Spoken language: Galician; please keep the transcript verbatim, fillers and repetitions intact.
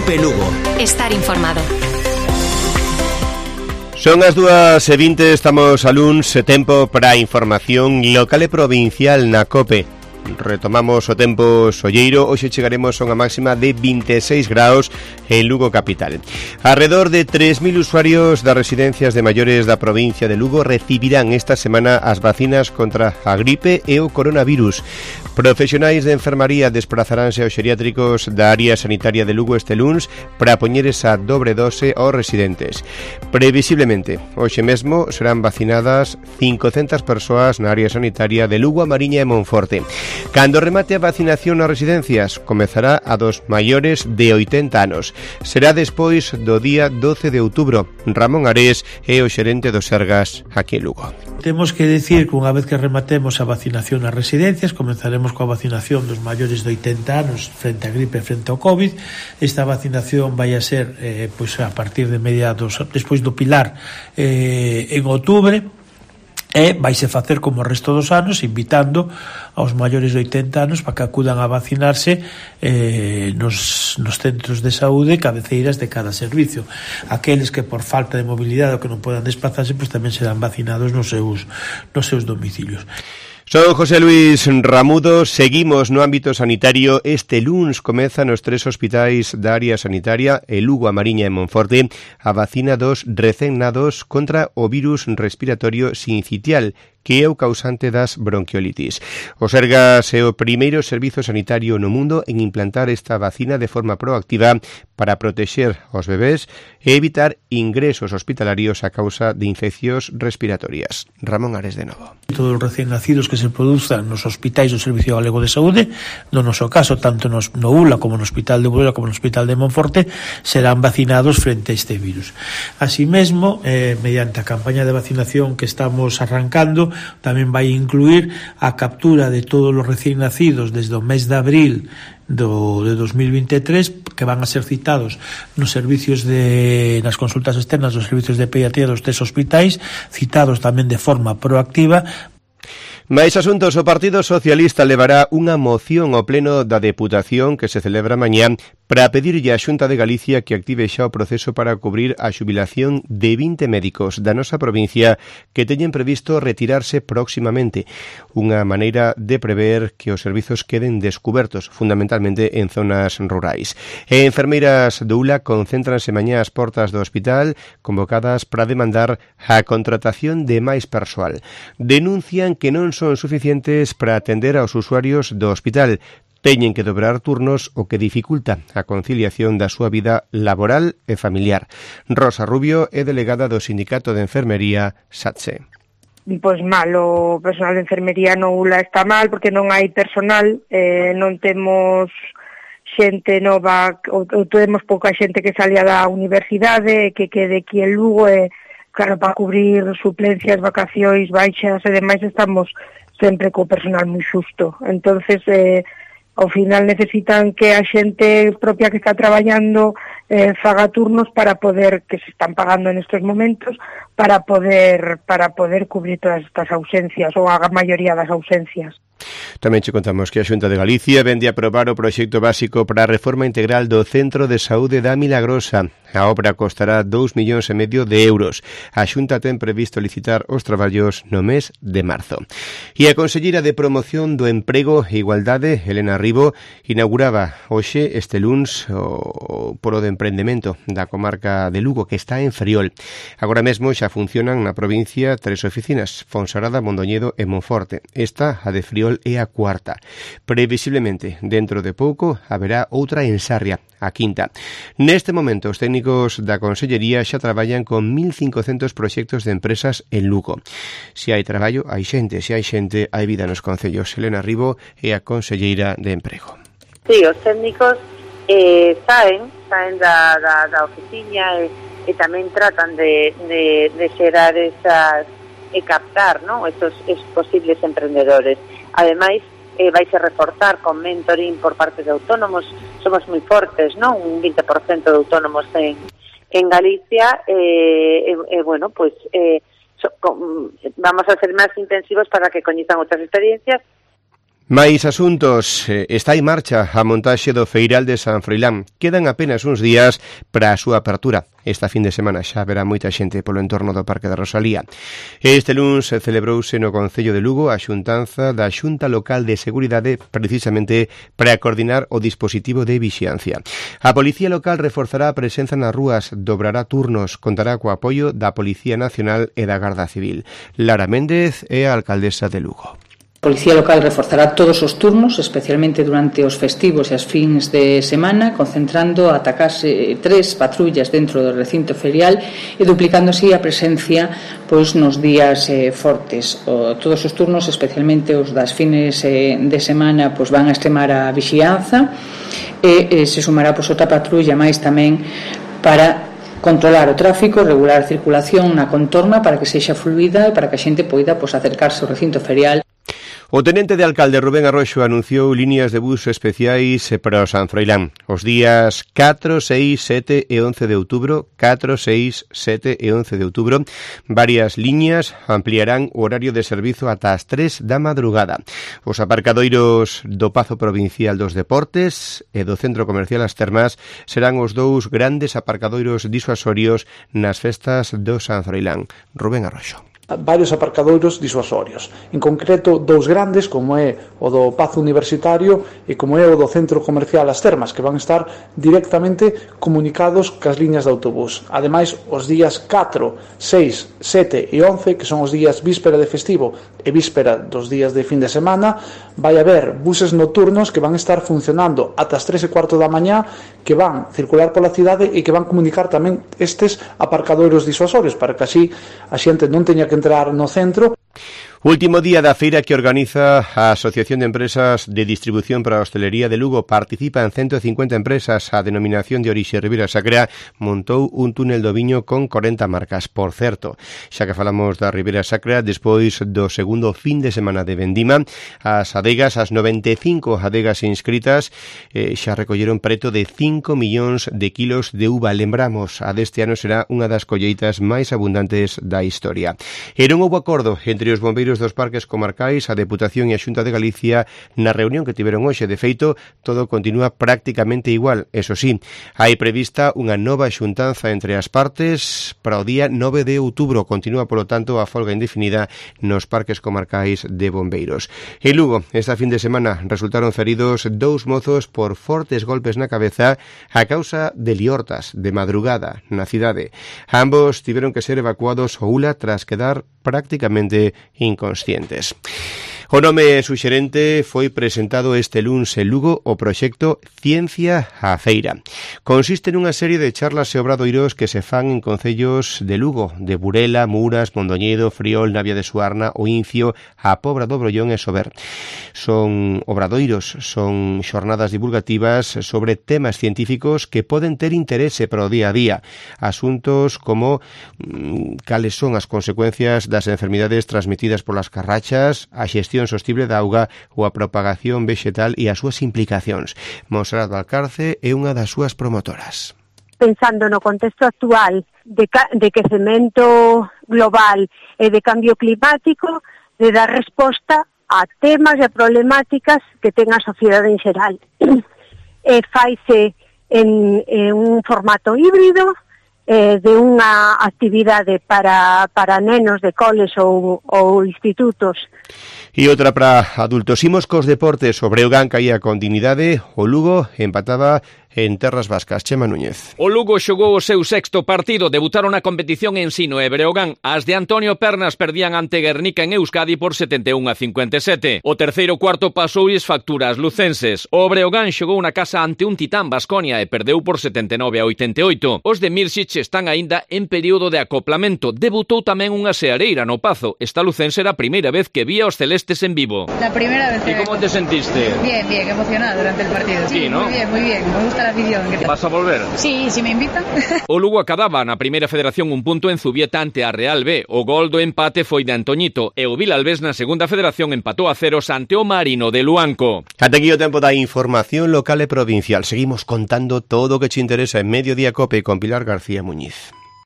Cope Lugo. Estar informado. Son as dúas e vinte, estamos a luns, tempo para a información local e provincial na Cope. Retomamos o tempo solleiro, hoxe chegaremos a unha máxima de vinte e seis graus en Lugo capital. Alrededor de tres mil usuarios das residencias de maiores da provincia de Lugo recibirán esta semana as vacinas contra a gripe e o coronavirus. Profesionais de enfermaría desprazaranse aos xeriátricos da área sanitaria de Lugo este luns para poñer esa dobre dose aos residentes. Previsiblemente, hoxe mesmo serán vacinadas cincocentas persoas na área sanitaria de Lugo, A Mariña e Monforte. Cando remate a vacinación nas residencias, comezará a dos maiores de oitenta anos. Será despois do día doce de outubro. Ramón Ares é o xerente do Sergas aquí en Lugo. Temos que decir que unha vez que rematemos a vacinación nas residencias, comenzaremos coa vacinación dos maiores de oitenta anos frente a gripe e frente ao COVID. Esta vacinación vai a ser eh, pois a partir de mediados, despois do Pilar, eh, en outubro. E vaise facer como o resto dos anos, invitando aos maiores de oitenta anos para que acudan a vacinarse eh, nos, nos centros de saúde cabeceiras de cada servicio. Aqueles que por falta de mobilidade ou que non podan desplazarse, pois tamén serán vacinados nos seus, nos seus domicilios. Son José Luis Ramudo, seguimos no ámbito sanitario. Este luns comeza nos tres hospitais da área sanitaria, en Lugo, A Mariña e Monforte, a vacina dos recén nados contra o virus respiratorio sincitial, que é o causante das bronquiolitis. O Sergas é o primeiro servizo sanitario no mundo en implantar esta vacina de forma proactiva para protexer os bebés e evitar ingresos hospitalarios a causa de infeccións respiratorias. Ramón Ares de novo. Todos os recén nacidos que se produzan nos hospitais do Servicio Galego de Saúde, no noso caso, tanto nos, no U L A como no Hospital de Burela como no Hospital de Monforte, serán vacinados frente a este virus. Así mesmo, eh, mediante a campaña de vacinación que estamos arrancando, tamén vai incluir a captura de todos os recén nacidos desde o mes de abril do, de dos mil vinte e tres, que van a ser citados nos servicios de, nas consultas externas dos servicios de pediatría dos tres hospitais, citados tamén de forma proactiva. Mais asuntos, o Partido Socialista levará unha moción ao pleno da Deputación que se celebra mañá para pedirlle á Xunta de Galicia que active xa o proceso para cubrir a xubilación de vinte médicos da nosa provincia que teñen previsto retirarse próximamente. Unha maneira de prever que os servizos queden descubertos, fundamentalmente en zonas rurais. E enfermeiras do U L A concéntranse mañá ás portas do hospital convocadas para demandar a contratación de máis persoal. Denuncian que non son suficientes para atender aos usuarios do hospital. Teñen que dobrar turnos o que dificulta a conciliación da súa vida laboral e familiar. Rosa Rubio é delegada do Sindicato de Enfermería SATSE. Pois mal, o personal de enfermería no U L A está mal porque non hai personal, eh, non temos xente nova, ou, ou temos pouca xente que salia da universidade, que quede aquí en Lugo, e claro, para cubrir suplencias, vacacións, baixas e demais estamos sempre co personal moi xusto. Entonces, eh, ao final necesitan que a xente propia que está traballando eh, faga turnos para poder, que se están pagando en estos momentos, para poder para poder cubrir todas estas ausencias, ou a maioría das ausencias. Tamén che contamos que a Xunta de Galicia vende a aprobar o proxecto básico para a reforma integral do Centro de Saúde da Milagrosa. A obra costará dous millóns e medio de euros. A Xunta ten previsto licitar os traballos no mes de marzo. E a Conselleira de Promoción do Emprego e Igualdade, Helena Ribo, inauguraba hoxe este luns o Polo de Emprendemento da comarca de Lugo, que está en Friol. Agora mesmo xa funcionan na provincia tres oficinas, Fonsagrada, Mondoñedo e Monforte. Esta, a de Friol, é a cuarta. Previsiblemente, dentro de pouco, haberá outra en Sarria, a quinta. Neste momento, os técnicos da Consellería xa traballan con mil cincocentos proxectos de empresas en Lugo. Se hai traballo, hai xente. Se hai xente, hai vida nos concellos. Helena Ribo é a Conselleira de Emprego. Sí, os técnicos eh, saen, saen da, da, da oficina e, e tamén tratan de, de, de xerar esas e captar, ¿no?, estos, estos posibles emprendedores. Ademais, eh, vaise reforzar con mentoring por parte de autónomos. Somos moi fortes, ¿no?, un vinte por cento de autónomos en, en Galicia, e eh, eh, eh, bueno, pues eh, so, con, vamos a ser máis intensivos para que coñezan outras experiencias. Máis asuntos. Está en marcha a montaxe do Feiral de San Froilán. Quedan apenas uns días para a súa apertura. Esta fin de semana xa verá moita xente polo entorno do Parque da Rosalía. Este luns celebrouse no Concello de Lugo a xuntanza da Xunta Local de Seguridade precisamente para coordinar o dispositivo de vixiancia. A Policía Local reforzará a presenza nas rúas, dobrará turnos, contará co apoio da Policía Nacional e da Garda Civil. Lara Méndez é a alcaldesa de Lugo. A Policía Local reforzará todos os turnos, especialmente durante os festivos e as fins de semana, concentrando ata case tres patrullas dentro do recinto ferial e duplicando así a presencia pois nos días eh, fortes. O, todos os turnos, especialmente os das fines eh, de semana, pois van a extremar a vixianza e eh, se sumará pois outra patrulla máis tamén para controlar o tráfico, regular a circulación na contorna para que sexa fluida e para que a xente poida pois, acercarse ao recinto ferial. O tenente de alcalde Rubén Arroxo anunciou liñas de bus especiais para o San Froilán. Os días catro, seis, sete e once de outubro, catro, seis, sete e once de outubro, varias liñas ampliarán o horario de servizo ata as tres da madrugada. Os aparcadoiros do Pazo Provincial dos Deportes e do Centro Comercial As Termas serán os dous grandes aparcadoiros disuasorios nas festas do San Froilán. Rubén Arroxo. Varios aparcadoiros disuasorios, en concreto dous grandes como é o do Pazo Universitario e como é o do Centro Comercial As Termas, que van estar directamente comunicados cas liñas de autobús. Ademais, os días catro, seis, sete e once, que son os días víspera de festivo e víspera dos días de fin de semana, vai haber buses nocturnos que van estar funcionando ata as tres e cuarto da mañá, que van circular pola cidade e que van comunicar tamén estes aparcadoiros disuasorios para que así a xente non teña que entrar no centro. Último día da feira que organiza a Asociación de Empresas de Distribución para a Hostelería de Lugo. Participan ciento cincuenta empresas. A denominación de orixe Ribera Sacra montou un túnel do viño con corenta marcas. Por certo, xa que falamos da Ribera Sacra, despois do segundo fin de semana de vendima, as adegas, as noventa e cinco adegas inscritas, eh, xa recolleron preto de cinco millóns de kilos de uva. Lembramos, a deste ano será unha das colleitas máis abundantes da historia. E non houbo acordo entre os bombeiros dos parques comarcais, a Deputación e a Xunta de Galicia na reunión que tiveron hoxe. De feito, todo continúa prácticamente igual. Eso sí, hai prevista unha nova xuntanza entre as partes para o día nove de outubro. Continúa, polo tanto, a folga indefinida nos parques comarcais de bombeiros. En Lugo, esta fin de semana, resultaron feridos dous mozos por fortes golpes na cabeza a causa de liortas de madrugada na cidade. Ambos tiveron que ser evacuados ao U L A tras quedar prácticamente inconscientes. O nome suxerente foi presentado este luns en Lugo o proxecto Ciencia á Feira. Consiste nunha serie de charlas e obradoiros que se fan en concellos de Lugo, de Burela, Muras, Mondoñedo, Friol, Navia de Suarna, O Incio, a Pobra do Brollón e Sober. Son obradoiros, son xornadas divulgativas sobre temas científicos que poden ter interese para o día a día. Asuntos como mmm, cales son as consecuencias das enfermidades transmitidas polas carrachas, a xestión sostible da auga ou a propagación vexetal e as súas implicacións. Monserrat Valcarce é unha das súas promotoras. Pensando no contexto actual de, de quecemento global e de cambio climático, de dar resposta a temas e problemáticas que ten a sociedade en xeral. E faise en, en un formato híbrido, eh, de unha actividade para, para nenos de coles ou, ou institutos. E outra para adultos. Imos cos deportes. O Breogán caía con dignidade, o Lugo empataba en terras vascas. Chema Núñez. O Lugo xogou o seu sexto partido. Debutaron na competición en Ensino e Breogán. As de Antonio Pernas perdían ante Guernica en Euskadi por setenta e un a cincuenta e sete. O terceiro cuarto pasoulles factura ás lucenses. O Breogán xogou na casa ante un titán Baskonia e perdeu por setenta e nove a oitenta e oito. Os de Mirsic están aínda en período de acoplamento. Debutou tamén unha seareira no Pazo. Esta lucense era a primeira vez que vía os celestes en vivo. La primera vez. ¿Y cómo te sentiste? Bien, bien, emocionada durante el partido. Sí, ¿no? Muy bien, muy bien. Me gusta la afición. ¿Vas a volver? Sí, si me invitan. O Lugo acadaba na primeira federación un punto en Zubieta ante a Real B. O gol do empate foi de Antoñito e o Vilalbés na segunda federación empatou a ceros ante o Marino de Luanco. Ate aquí o tempo da información local e provincial. Seguimos contando todo o que te interesa en Mediodía Cope con Pilar García Muñiz.